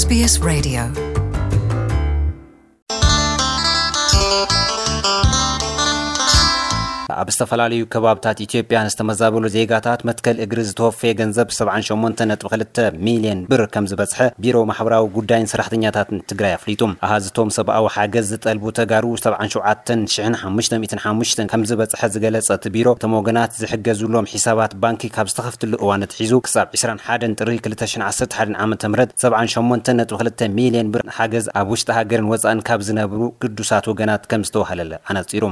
SBS Radio. ኣብ ዝተፈላለዩ ከባብታት ኢትዮጵያ ንዝተመዛበሉ ዜጋታት መትከል እግሪ ዝተወፈየ ገንዘብ ሰብዓን ሸሞንተን ነጥቢ ክልተ ሚልዮን ብር ከም ዝበጽሐ ቢሮ ማሕበራዊ ጉዳይን ሰራሕተኛታትን ትግራይ ኣፍሊጡ። ኣሃዝቶም ሰብኣዊ ሓገዝ ዝጠልቡ ተጋሩ ሰብዓን ሸውዓተን ሽሕን ሓሙሽተ ሚእትን ሓሙሽተን ከም ዝበጽሐ ዝገለጸ እቲ ቢሮ፣ እቶም ወገናት ዝሕገዙሎም ሒሳባት ባንኪ ካብ ዝተኸፍትሉ እዋን ኣትሒዙ ክሳብ ዕስራን ሓደን ጥሪ ክልተ ሽሕን ዓሰርተ ሓደን ዓመተ ምህረት ሰብዓን ሸሞንተን ነጥቢ ክልተ ሚልዮን ብር ሓገዝ ኣብ ውሽጢ ሃገርን ወጻእን ካብ ዝነብሩ ግዱሳት ወገናት ከም ዝተዋህለለ ኣነጺሩ።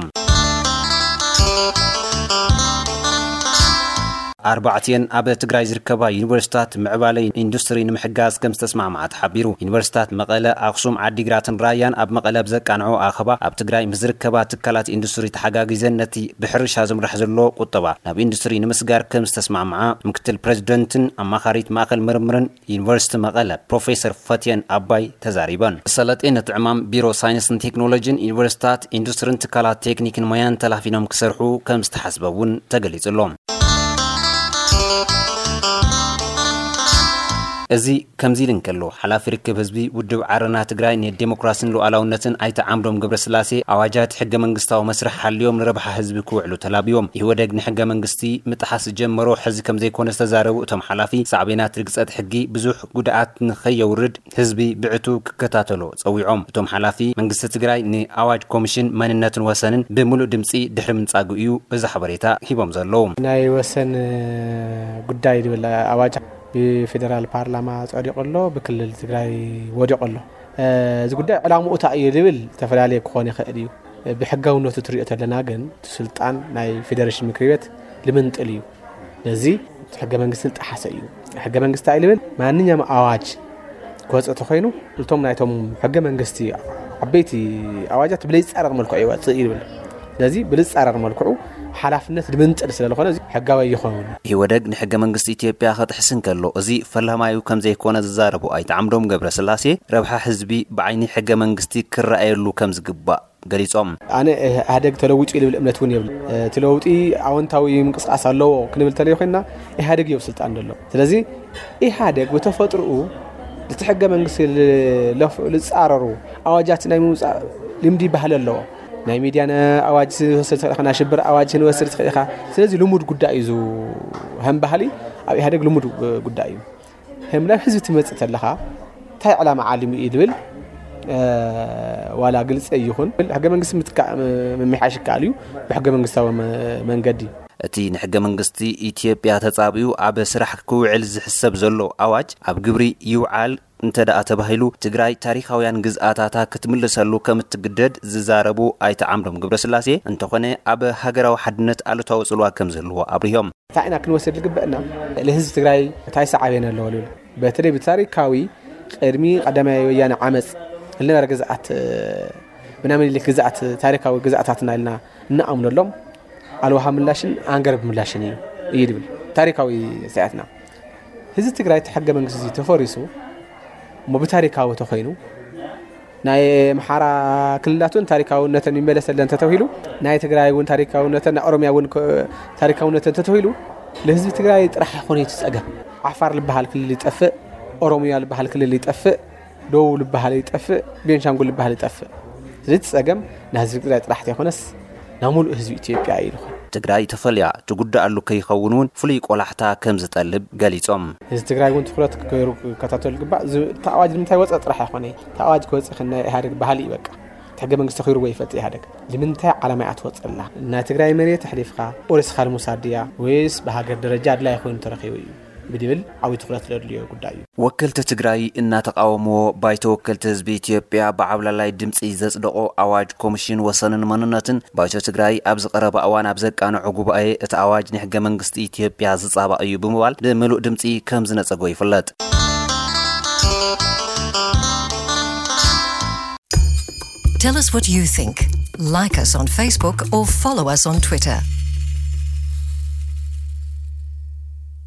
ኣርባዕቲኤን ኣብ ትግራይ ዝርከባ ዩኒቨርሲታት ምዕባለ ኢንዱስትሪ ንምሕጋዝ ከም ዝተስማዕማዓ ተሓቢሩ። ዩኒቨርሲታት መቐለ፣ ኣኽሱም፣ ዓዲግራትን ራያን ኣብ መቐለ ብዘቃንዖ ኣኸባ ኣብ ትግራይ ምስ ዝርከባ ትካላት ኢንዱስትሪ ተሓጋጊዘን ነቲ ብሕርሻ ዝምራሕ ዘሎ ቁጠባ ናብ ኢንዱስትሪ ንምስጋር ከም ዝተስማዕማዓ ምክትል ፕሬዚደንትን ኣማኻሪት ማእኸል ምርምርን ዩኒቨርሲቲ መቐለ ፕሮፌሰር ፈትየን ኣባይ ተዛሪበን። ሰለጤ ነቲ ዕማም ቢሮ ሳይንስን ቴክኖሎጂን ዩኒቨርሲታት ኢንዱስትሪን ትካላት ቴክኒክን ሞያን ተላፊኖም ክሰርሑ ከም ዝተሓስበ እውን ተገሊጹ ኣሎ። እዚ ከምዚ ኢሉ እንከሎ፣ ሓላፊ ርክብ ህዝቢ ውድብ ዓረና ትግራይ ንዴሞክራሲን ሉዓላውነትን ኣይተ ዓምዶም ገብረስላሴ፣ ኣዋጃት ሕገ መንግስታዊ መስርሕ ሓልዮም ንረብሓ ህዝቢ ክውዕሉ ተላብዮም። ኢህወደግ ንሕገ መንግስቲ ምጥሓስ ዝጀመሮ ሕዚ ከም ዘይኮነ ዝተዛረቡ እቶም ሓላፊ፣ ሳዕቤናት ርግጸት ሕጊ ብዙሕ ጉድኣት ንኸየውርድ ህዝቢ ብዕቱ ክከታተሎ ጸዊዖም። እቶም ሓላፊ፣ መንግስቲ ትግራይ ንኣዋጅ ኮሚሽን መንነትን ወሰንን ብምሉእ ድምጺ ድሕሪ ምንጻጉ እዩ እዚ ሓበሬታ ሂቦም ዘለዉ። ናይ ወሰን ጉዳይ ዝብል ኣዋጅ ብፌደራል ፓርላማ ጸዲቑ ኣሎ፣ ብክልል ትግራይ ወዲቑ ኣሎ። እዚ ጉዳይ ዕላምኡ እንታይ እዩ ዝብል ዝተፈላለየ ክኾን ይኽእል እዩ። ብሕጋውነቱ ትሪኦ ተለና ግን እቲ ስልጣን ናይ ፌደሬሽን ምክሪ ቤት ልምንጥል እዩ። ነዚ እቲ ሕገ መንግስቲ ዝጠሓሰ እዩ። ሕገ መንግስቲ እንታይ ልብል? ማንኛውም ኣዋጅ ክወፅእ ተኾይኑ እቶም ናይቶም ሕገ መንግስቲ ዓበይቲ ኣዋጃት ብለይፃረር መልክዑ ይወፅእ ይብል። ስለዚ ብልፃረር መልክዑ ሓላፍነት ልምንጥል ስለዝኾነ እዚ ሕጋዊ ይኸውን። ኢህወደግ ንሕገ መንግስቲ ኢትዮጵያ ከጥሕስ እንከሎ እዚ ፈላማዩ ከም ዘይኮነ ዝዛረቡ ኣይተ ዓምዶም ገብረስላሴ፣ ረብሓ ህዝቢ ብዓይኒ ሕገ መንግስቲ ክረኣየሉ ከም ዝግባእ ገሊጾም። ኣነ ኢህኣደግ ተለዊጡ እዩ ልብል እምነት እውን የብለይን። እቲ ለውጢ ኣወንታዊ ምንቅስቃስ ኣለዎ ክንብል ተለይ ኮይንና ኢህኣደግ እዩ ኣብ ስልጣን ዘሎ። ስለዚ ኢህኣደግ ብተፈጥርኡ እቲ ሕገ መንግስቲ ል-፣ ለፍ-፣ ልጻረሩ ኣዋጃት ናይ ምውጻእ ልምዲ ባህሊ ኣለዎ። ናይ ሚድያ ነ-፣ ኣዋጅ ዝወስድ ትኽእል ኢኻ፣ ናይ ሽብር ኣዋጅ ክንወስድ ትኽእል ኢኻ። ስለዚ ልሙድ ጉዳይ እዩ፣ ከም ባህሊ ኣብ ኢህኣደግ ልሙድ ጉዳይ እዩ። ከም ናብ ህዝቢ ትመጽእ ተለኻ እንታይ ዕላማ ዓሊሙ እዩ ዝብል፣ እ፣ ዋላ ግልጺ ይኹን ሕገ መንግስቲ ምትካእ፣ ም-፣ ምምሕያሽ ይከኣል እዩ ብሕገ መንግስታዊ መ-፣ መንገዲ። እቲ ንሕገ መንግስቲ ኢትዮጵያ ተጻብዩ ኣብ ስራሕ ክውዕል ዝሕሰብ ዘሎ ኣዋጅ ኣብ ግብሪ ይውዓል እንተ ደኣ ተባሂሉ፣ ትግራይ ታሪኻውያን ግዝኣታታ ክትምልሰሉ ከም እትግደድ ዝዛረቡ ኣይተ ዓምዶም ገብረስላሴ፣ እንተኾነ ኣብ ሃገራዊ ሓድነት ኣሉታዊ ጽልዋ ከም ዝህልዎ ኣብሪሆም። እንታይ ኢና ክንወስድ ዝግበአና? ንህዝቢ ትግራይ እንታይ ሰዓቤን ኣለዎ ዝብል፣ በተለይ ብታሪካዊ ቅድሚ ቀዳማይ ወያነ ዓመፅ ዝነበረ ግዝኣት፣ ብናይ ምኒልክ ግዝኣት፣ ታሪካዊ ግዝኣታትና ኢልና እንኣምነሎም ኣልዋሃ ምላሽን ኣንገረብ ምላሽን እዩ፣ እዩ ዝብል ታሪካዊ ስያትና። ህዝቢ ትግራይ እቲ ሕገ መንግስቲ እዚ ተፈሪሱ እሞ ብታሪካዊ ተኮይኑ ናይ ኣምሓራ ክልላት እውን ታሪካውነተን ይመለሰለን ተተባሂሉ፣ ናይ ትግራይ እውን ታሪካውነተን፣ ናይ ኦሮሚያ እውን ከ-፣ ታሪካውነተን ተተባሂሉ፣ ለህዝቢ ትግራይ ጥራሕ ኣይኮነ እቲ ጸገም። ዓፋር ልበሃል ክልል ይጠፍእ፣ ኦሮሚያ ልበሃል ክልል ይጠፍእ፣ ደቡብ ልበሃል ይጠፍእ፣ ቤንሻንጉል ልበሃል ይጠፍእ። ስለዚ እቲ ጸገም ናይ ህዝቢ ትግራይ ጥራሕ ተይኮነስ ናይ ሙሉእ ህዝቢ ኢትዮጵያ እዩ ዝኾን። ትግራይ ተፈልያ ትጉዳኣሉ ከይኸውን እውን ፍሉይ ቆላሕታ ከም ዝጠልብ ገሊጾም። ህዝቢ ትግራይ እውን ትኹረት ገይሩ ክከታተሉ ይግባእ። እዚ፣ እቲ ኣዋጅ ንምንታይ ወፀ ጥራሕ ኣይኮነ። እቲ ኣዋጅ ክወፅእ ከ ናይ ኢህኣደግ ባህሊ እዩ በቃ። እቲ ሕገ መንግስቲ ተኺርዎ ይፈልጥ ኢህኣደግ። ንምንታይ ዓላማ እያ ትወፅእ ኣላ? ናይ ትግራይ መሬት ኣሕሊፍካ ወሪስካ ንምውሳድ ድያ? ወይስ ብሃገር ደረጃ ኣድላይ ኮይኑ ተረኺቡ እዩ? ብድብል ዓብዪ ትኹረት ዘድልዮ ጉዳይ እዩ። ወከልቲ ትግራይ እናተቃወምዎ፣ ባይቶ ወከልቲ ህዝቢ ኢትዮጵያ ብዓብላላይ ድምፂ ዘፅደቆ ኣዋጅ ኮሚሽን ወሰንን መንነትን፣ ባይቶ ትግራይ ኣብዚ ቀረባ እዋን ኣብ ዘቃንዖ ጉባኤ፣ እቲ ኣዋጅ ንሕገ መንግስቲ ኢትዮጵያ ዝፃባእ እዩ ብምባል ብምሉእ ድምፂ ከም ዝነፀጎ ይፍለጥ። Tell us what you think. Like us on Facebook or follow us on Twitter.